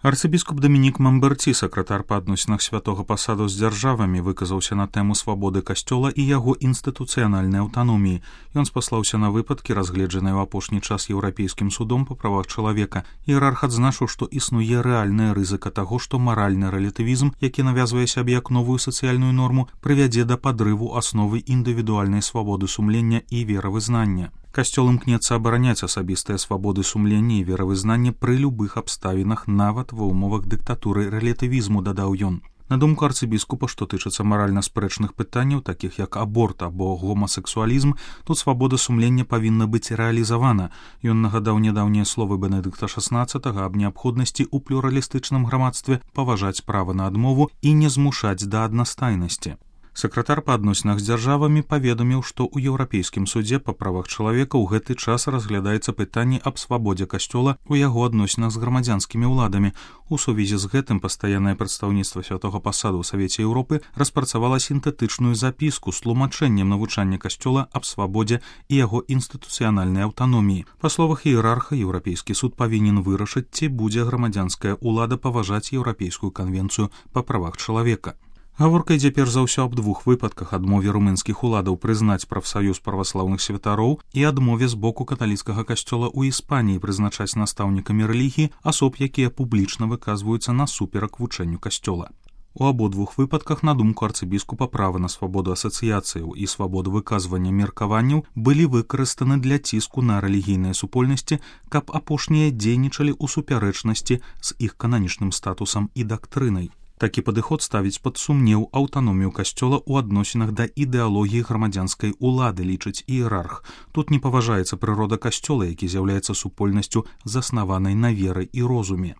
Арцыбіскуп Дамінік Мамберці, сакратар па адносінах святога пасаду з дзяржавамі, выказаўся на тэму свабоды касцёла і яго інстытуцыянальнай аўтаноміі. Ён спаслаўся на выпадкі, разгледжаныя ў апошні час еўрапейскім судом па правах чалавека. Іерарх адзначыў, што існуе рэальная рызыка таго, што маральны рэлятывізм, які навязвае сябе як новую сацыяльную норму, прывядзе да падрыву асновы індывідуальнай свабоды сумлення і веравызнання. Касцёл імкнецца абараняць асабістыя свабоды сумлення і веравызнання пры любых абставінах, нават ва ўмовах дыктатуры рэлятывізму, дадаў ён. На думку арцыбіскупа, што тычыцца маральна спрэчных пытанняў, такіх як аборт або гомасексуалізм, тут свабода сумлення павінна быць рэалізавана. Ён нагадаў нядаўнія словы Бенедыкта XVI аб неабходнасці ў плюралістычным грамадстве паважаць права на адмову і не змушаць да аднастайнасці. Сакратар па адносінах з дзяржавамі паведаміў, што ў Еўрапейскім судзе па правах чалавека ў гэты час разглядаецца пытанне аб свабодзе касцёла ў яго адносінах з грамадзянскімі ўладамі. У сувязі з гэтым пастаяннае прадстаўніцтва святога пасаду ў Савеце Еўропы распрацавала сінтэтычную запіску з тлумачэннем навучання касцёла аб свабодзе і яго інстытуцыянальнай аўтаноміі. Па словах іерарха, Еўрапейскі суд павінен вырашыць, ці будзе грамадзянская ўлада паважаць Еўрапейскую канвенцыю па правах чалавека. Гаворка ідзе перш за ўсё аб двух выпадках: адмове румынскіх уладаў прызнаць прафсаюз праваслаўных святароў і адмове з боку каталіцкага касцёла ў Іспаніі прызначаць настаўнікамі рэлігіі асоб, якія публічна выказваюцца насуперак вучэнню касцёла. У абодвух выпадках, на думку арцыбіскупа, права на свабоду асацыяцыяў і свабоду выказвання меркаванняў былі выкарыстаны для ціску на рэлігійныя супольнасці, каб апошнія дзейнічалі ў супярэчнасці з іх кананічным статусам і дактрынай. Такі падыход ставіць пад сумнеў аўтаномію касцёла ў адносінах да ідэалогіі грамадзянскай улады, лічыць іерарх. Тут не паважаецца прырода касцёла, які з'яўляецца супольнасцю, заснаванай на веры і розуме.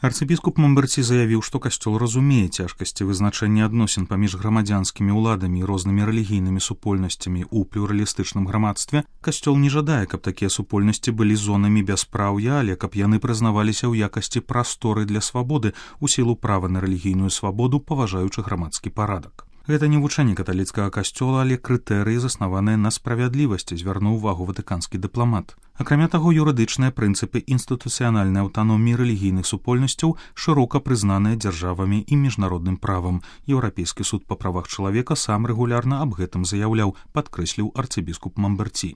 Арцыбіскуп Мамберці заявіў, што касцёл разумее цяжкасці вызначэння адносін паміж грамадзянскімі ўладамі і рознымі рэлігійнымі супольнасцямі ў плюралістычным грамадстве. Касцёл не жадае, каб такія супольнасці былі зонамі бяспраўя, але каб яны прызнаваліся ў якасці прасторы для свабоды ў сілу права на рэлігійную свабоду, паважаючы грамадскі парадак. Гэта не вучэнне каталіцкага касцёла, але крытэрыі, заснаваныя на справядлівасці, звярнуў увагу ватыканскі дыпламат. Акрамя таго, юрыдычныя прынцыпы інстытуцыянальнай аўтаноміі рэлігійных супольнасцяў шырока прызнаныя дзяржавамі і міжнародным правам. Еўрапейскі суд па правах чалавека сам рэгулярна аб гэтым заяўляў, падкрэсліў арцыбіскуп Мамберці.